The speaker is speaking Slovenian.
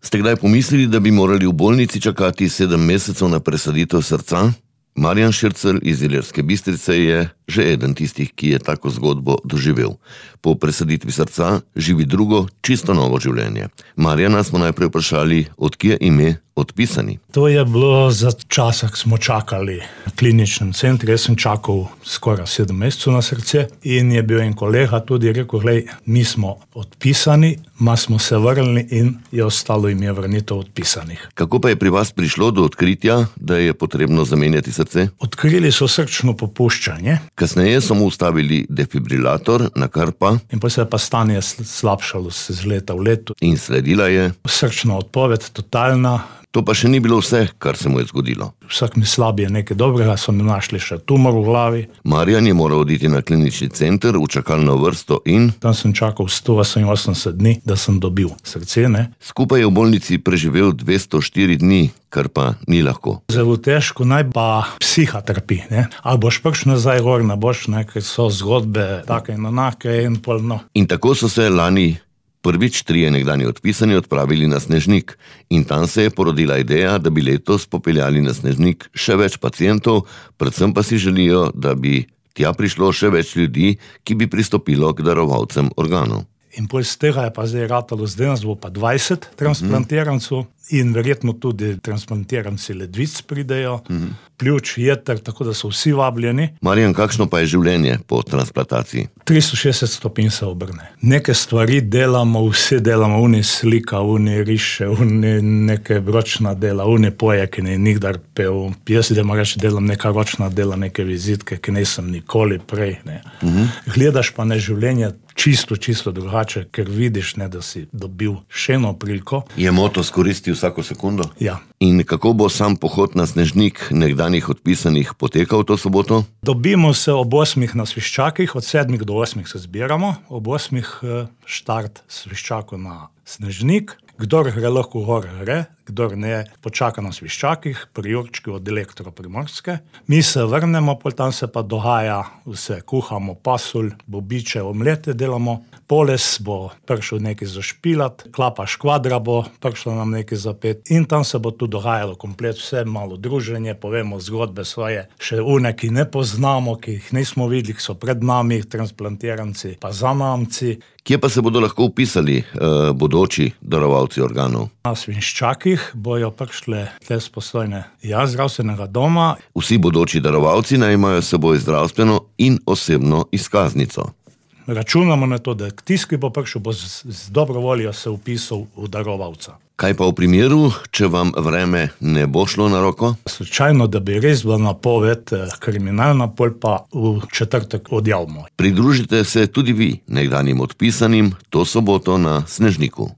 Ste kdaj pomislili, da bi morali v bolnici čakati 7 mesecev na presaditev srca? Marjan Šircelj iz Ilirske Bistrice je že eden tistih, ki je tako zgodbo doživel. Po presaditvi srca živi drugo, čisto novo življenje. Marjana smo najprej vprašali, odkje ime Odpisani. To je bilo za časa, ko smo čakali v kliničnem centru. Jaz sem čakal skoraj 7 mesecev na srce in je bil en kolega tudi rekel, glej, mi smo odpisani, ma smo se vrnili in je ostalo ime vrnitev odpisanih. Kako pa je pri vas prišlo do odkritja, da je potrebno zamenjati srce? Odkrili so srčno popuščanje. Kasneje so mu ustavili defibrilator, nakar pa... In pa se je pa stanje slabšalo z leta v leto. In sledila je... Srčna odpoved, totalna. To pa še ni bilo vse, kar se mu je zgodilo. Vsak mi slabi je nekaj dobrega, so mi našli še tumor v glavi. Marjan je moral oditi na klinični center v čakalno vrsto in... Tam sem čakal 188 dni, da sem dobil srce, ne. Skupaj je v bolnici preživel 204 dni, kar pa ni lahko. Zelo težko, naj pa psiha trpi, ne. Ali boš prišel nazaj gor, ne boš, ne, ker so zgodbe take in onake in pol, no. In tako so se lani prvič 3 nekdanji odpisani odpravili na Snežnik in tam se je porodila ideja, da bi letos popeljali na Snežnik še več pacientov, predvsem pa si želijo, da bi tja prišlo še več ljudi, ki bi pristopilo k darovalcem organov. In pol z tega je pa zdaj ratalo, zdaj nas bo pa 20 transplantirancev in verjetno tudi transplantiranci ledvic pridejo, pljuč, jeter, tako da so vsi vabljeni. Marjan, kakšno pa je življenje po transplantaciji? 360 stopinj se obrne. Neke stvari delamo, vsi delamo, uni slika, uni riše, uni neke ročna dela, uni poje, ki ne nikdar pel. Jaz delam neka ročna dela, neke vizitke, ki nisem nikoli prej, ne. Gledaš pa na življenje čisto drugače, ker vidiš, ne, da si dobil še eno priliko. Je moto skoristi vsako sekundo? Ja. In kako bo sam pohod na Snežnik nekdanjih odpisanih potekal to soboto? Dobimo se ob 8 na Sviščakih, od 7 do 8 se zbiramo, ob 8 štart Sviščakov na Snežnik. Kdor gre lahko gor gre, kdor ne, počaka na Sviščakih, pri Jurčki od Elektro Primorske. Mi se vrnemo, pol tam se pa dogaja vse, kuhamo pasulj, bobiče, omlete delamo, poles bo prišel nekaj zašpilat, klapa škvadra bo prišla nam nekaj zapet in tam se bo tu dogajalo komplet vse, malo druženje, povemo zgodbe svoje, še une, ki ne poznamo, ki jih nismo videli, ki so pred nami, transplantiranci, pa zanamci. Kje pa se bodo lahko upisali bodoči darovalci organov? Na Sviščakih bojo prišle tle spostojne zdravstvenega doma. Vsi bodoči darovalci naj imajo s seboj zdravstveno in osebno izkaznico. Računamo na to, da tisti, ki bo prišel, bo z dobro voljo se upisal v darovalca. Kaj pa v primeru, če vam vreme ne bo šlo na roko? Slučajno, da bi res bila napoved kriminalna, pol pa v četrtek odjavimo. Pridružite se tudi vi nekdanjim odpisanim to soboto na Snežniku.